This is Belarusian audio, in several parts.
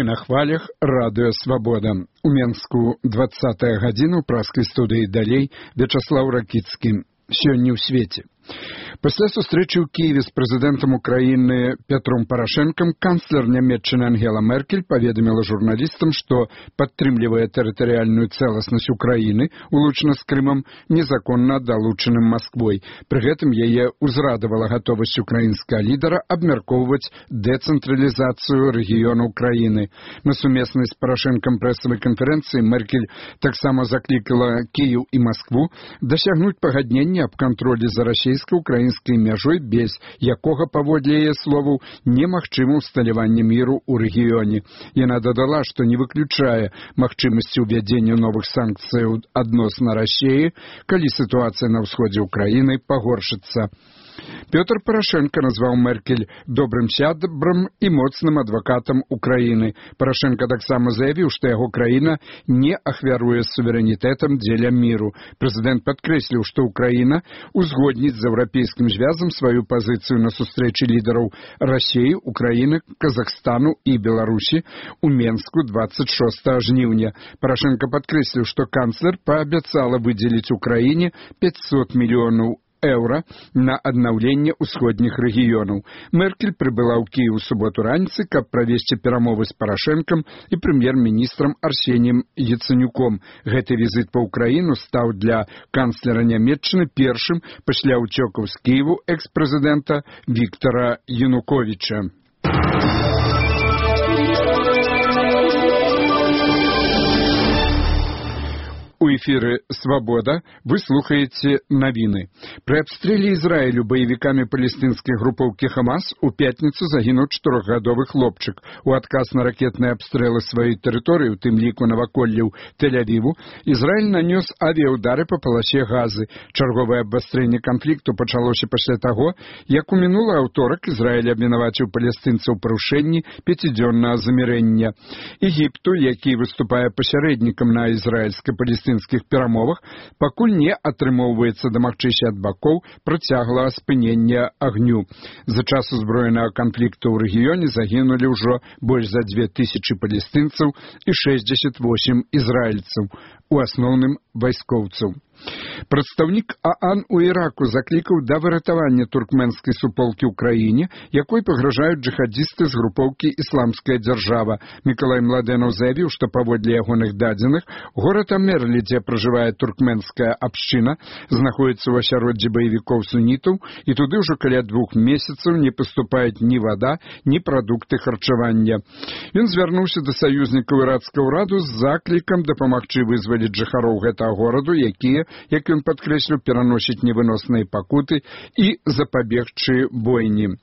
На хвалях радыё «Свабода». У Менску 20-я гадзіна ў праскай студыі «Далей» Вячаслаў Ракіцкі. Сёння ў свеце. Пасля сустрэчы ў Киеве з прэзідэнтам Украіны Петром Парашэнкам канцлер Нямецчыны Ангела Меркель паведаміла журналістам, што падтрымлівае тэрытарыяльную цэласнасць Украіны, улучна з Крымам, незаконна далучаным Масквой. Пры гэтым яе ўзрадавала гатовасць украінскага лідара абмяркоўваць дэцэнтралізацыю рэгіёна Украіны. На сумеснай з Парашэнкам прэсавай канферэнцыі Меркель таксама заклікала Кіеў і Маскву дасягнуць пагаднення аб кантролі за расійска-украінскай мяжой, без якога, паводле яе словаў, немагчыма ўсталяванне міру ў рэгіёне. Яна дадала, што не выключае магчымасці ўвядзення новых санкцыяў адносна Расіі, калі сітуацыя на ўсходзе ўкраіны пагоршыцца. Пётр Парашэнка назваў Меркель добрым сябрам і моцным адвакатам Украіны. Парашэнка таксама заявіў, што яго краіна не ахвяруе суверэнітэтам дзеля міру. Прэзідэнт падкрэсліў, што Украіна узгодніць з еўрапейскім звязам сваю пазіцыю на сустрэчы лідараў Расіі, Украіны, Казахстану і Беларусі у Менску 26 жніўня. Парашэнка падкрэсліў, што канцлер паабяцала выдзеліць Украіне 500 мільёнаў еўра на аднаўленне ўсходніх рэгіёнаў. Меркель прыбыла ў Кіеў у суботу раніцай, каб правесці перамовы з Парашэнкам і прэм'ер-міністрам Арсеніем Яцэнюком. Гэты візіт па ўкраіну стаў для канцлера Нямецчыны першым пасля ўцёкаў з Кіеву экс-прэзідэнта Віктара Януковіча. У эфіры «Свабода» вы слухаеце навіны. Пры абстрэле Ізраілю баевікамі палестынскай групоўкі «Хамас» у пятніцу загінуў 4-гадовы хлопчык. У адказ на ракетныя абстрэлы сваёй тэрыторыі, у тым ліку наваколляў Тель-Авіву, Ізраіль нанёс авіяўдары па паласе Газы. Чарговае абвастрэнне канфлікту пачалося пасля таго, як у мінулы аўторак Ізраіль абвінаваціў палестынцаў у парушэнні 5-дзённага замірэння. Егіпту, які выступае пасярэднікам на ізраільска-палестынскіх перамовах, пакуль не атрымоўваецца дамагчыся ад бакоў працяглага спынення агню. За час узброенага канфлікту ў рэгіёне загінулі ўжо больш за 2000 палестынцаў і 68 ізраільцаў, у асноўным вайскоўцаў. Прадстаўнік ААН у Іраку заклікаў да выратавання туркменскай суполкі ў краіне, якой пагражаюць джихадзісты з групоўкі «Ісламская дзяржава». Мікалай Младэнаў заявіў, што паводле ягоных дадзеных, горад Амерлі, дзе пражывае туркменская абшчына, знаходзіцца ў асяроддзі баевікоў сунітаў, і туды ўжо каля 2 месяцаў не паступаюць ні вада, ні прадукты харчавання. Ён звярнуўся да саюзнікаў ірацкага ўраду з заклікам дапамагчы вызваліць жыхароў гэтага гораду, якія, як ён падкрэсліў, пераносіць невыносныя пакуты і запабегчы бойні.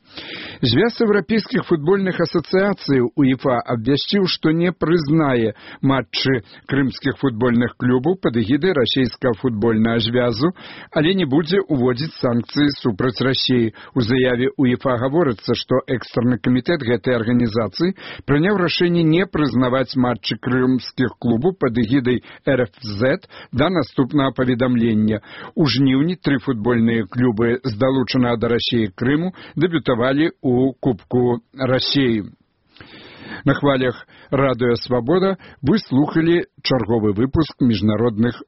Звяз еўрапейскіх футбольных асацыяцый УЕФА абвясціў, што не прызнае матчы крымскіх футбольных клубаў пад эгідай расійскага футбольнага звязу, але не будзе уводзіць санкцыі супраць Расіі. У заяве УЕФА гаворыцца, што экстраны камітэт гэтай арганізацыі прыняў рашэнне не прызнаваць матчы крымскіх клубаў пад эгідай РФЗ да наступнага паведамлення. У жніўні 3 футбольныя клубы з далучанага да Расіі Крыму дэбютавалі у Кубку Расіі. На хвалях радыё «Свабода» вы слухалі чарговы выпуск міжнародных